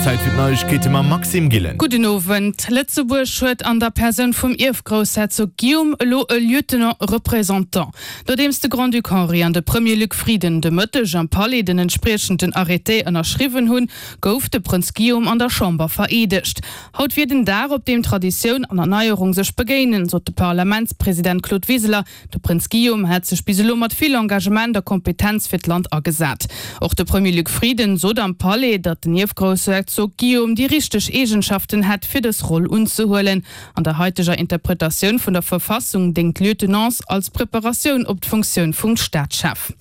Zäit fir d'Neiegkeete mam Maxime Gillen. Gudden Owend. Lëtzebuerg huet an der Persoun vum Ierfgroussherzog Guillaume elo e Lieutenant représentant. Nodeems de Grand-Duc Henri an de Premier Luc Frieden de Mëtteg am Palais den entspriechenden Arrêté ënnerschriwwen hunn, gouf de Prënz Guillaume an der Chamber vereedegt. Haut wier den Dag, op deem Traditioun an Erneierung sech begéinen, sot de Parlamentspresident Claude Wiseler. De Prënz Guillaume hätt sech bis elo mat vill Engagement a Kompetenz fir d'Land agesat. Och de Premier Luc Frieden sot am Palais, datt den Ierfgroussherzog Guillaume déi richteg Eegenschaften hätt, fir dës Roll unzehuelen. An der haiteger Interpretatioun vun der Verfassung déngt d'Lieutenance als Preparatioun op d'Funktioun vum Staatschef.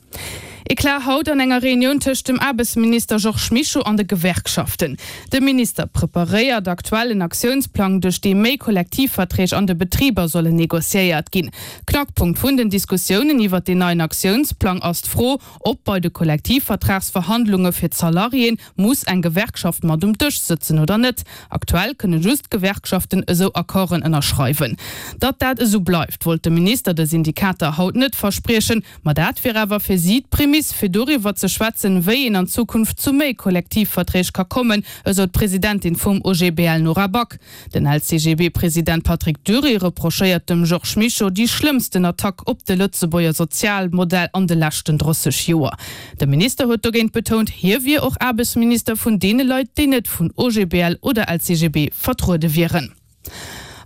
Eclat haut an enger Reunioun tëscht dem Aarbechtsminister Georges Mischo an de Gewerkschaften. De Minister preparéiert aktuell en Aktiounsplang, duerch dee méi Kollektivverträg an de Betriber sollen negociéiert ginn. Knackpunkt vun den Diskussiounen iwwert deen neien Aktiounsplang ass d'Fro, ob bei de Kollektivvertragsverhandlunge fir d'Salariéen muss eng Gewerkschaft mat um Dësch sëtzen oder net. Aktuell kënne just d'Gewerkschaften esou Accorden ënnerschreiwen. Datt dat esou bleift, wollt de Minister de Syndikater haut net verspriechen. Ma dat wier awer fir si d'Prämiss, fir doriwwer ze schwätzen, wéi een an Zukunft zu méi Kollektivverträg ka kommen, esou d'Presidentin vum OGBL Nora Back. Den LCGB-President Patrick Dury reprochéiert dem Georges Mischo déi schlëmmsten Attack op de Lëtzebuerger Sozialmodell an de leschten 30 Joer. De Minister huet dogéint betount, hie wier och Aarbechtsminister vun deene Leit, déi net vun OGBL oder LCGB vertruede wieren.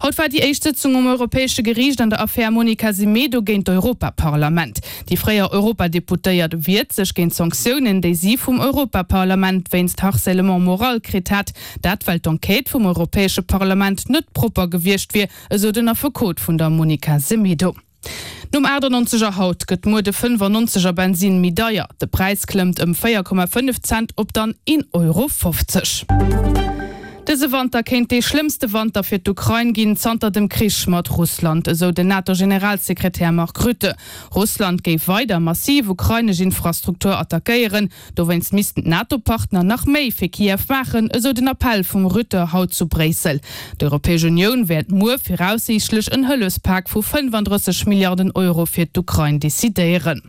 Haut war déi éischt Sëtzung um Europäesche Geriicht an der Affär Monica Semedo géint d'Europaparlament. Déi fréier Europadeputéiert wiert sech géint Sanktiounen, déi si vum Europaparlament wéinst Harcèlement moral kritt hat. Dat well d'Enquête vum Europäesche Parlament net propper gewiescht wier, esou den Affekot vun der Monica Semedo. Nom 98 er haut gëtt muer de 95 er Bensin méi deier. De Präis klëmmt ëm 4,5 Cent op dann 1,50 Euro. Dëse Wanter kéint dee schlëmmste Wanter fir d'Ukrain ginn zanter dem Krich mat Russland, esou den NATO-Generalsekretär Mark Rutte. Russland géif weider massiv ukrainesch Infrastruktur attackéieren. Dowéinst missten d'NATO-Partner nach méi fir Kiew maachen, esou den Appell vum Rutte haut zu Bréissel. D'Europäesch Unioun wäert muer viraussiichtlech en Hëllefspak vu 35 Milliarden Euro fir d'Ukrain decidéieren.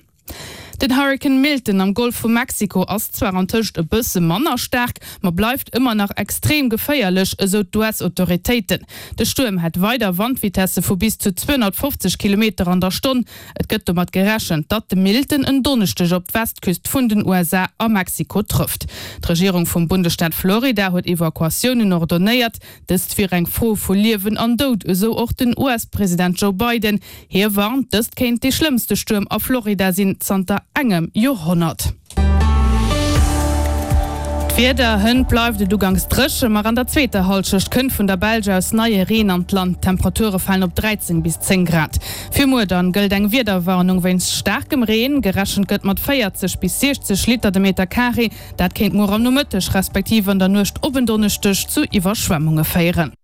Den Hurrikan Milton am Golf vu Mexiko ass zwar antëscht e bësse manner staark, ma bleift ëmmer nach extrem geféierlech, esou d'US-Autoritéiten. De Stuerm hätt weider Wandvitesse vu bis zu 250 Kilometer an der Stonn. Et gëtt domat gerechent, datt de Milton en Donneschdeg op d'Westküst vun den USA a Mexiko trëfft. D'Regierung vum Bundesstaat Florida huet Evakuatiounen ordonéiert. Dëst wier eng Fro vu Liewen an Doud, esou och den US-President Joe Biden. Hie warnt, dëst kéint dee schlëmmste Stuerm a Florida sinn zanter engem Joerhonnert. D'Wieder, Hënt bleift et uganks dréche, ma an der zweeter Hallschecht kënnt vun der Belsch aus neie Reen an d'Land. D'Temperature falen op 13 bis 10 Grad. Fir muer dann gëllt eng Wiederwarnung wéinst staarkem Reen. Gerechent gëtt mat 40 bis 60 Liter de Meter Carré. Dat kéint muer am Nomëtteg respektiv an der Nuecht op en Donneschdeg zu Iwwerschwemmunge féieren.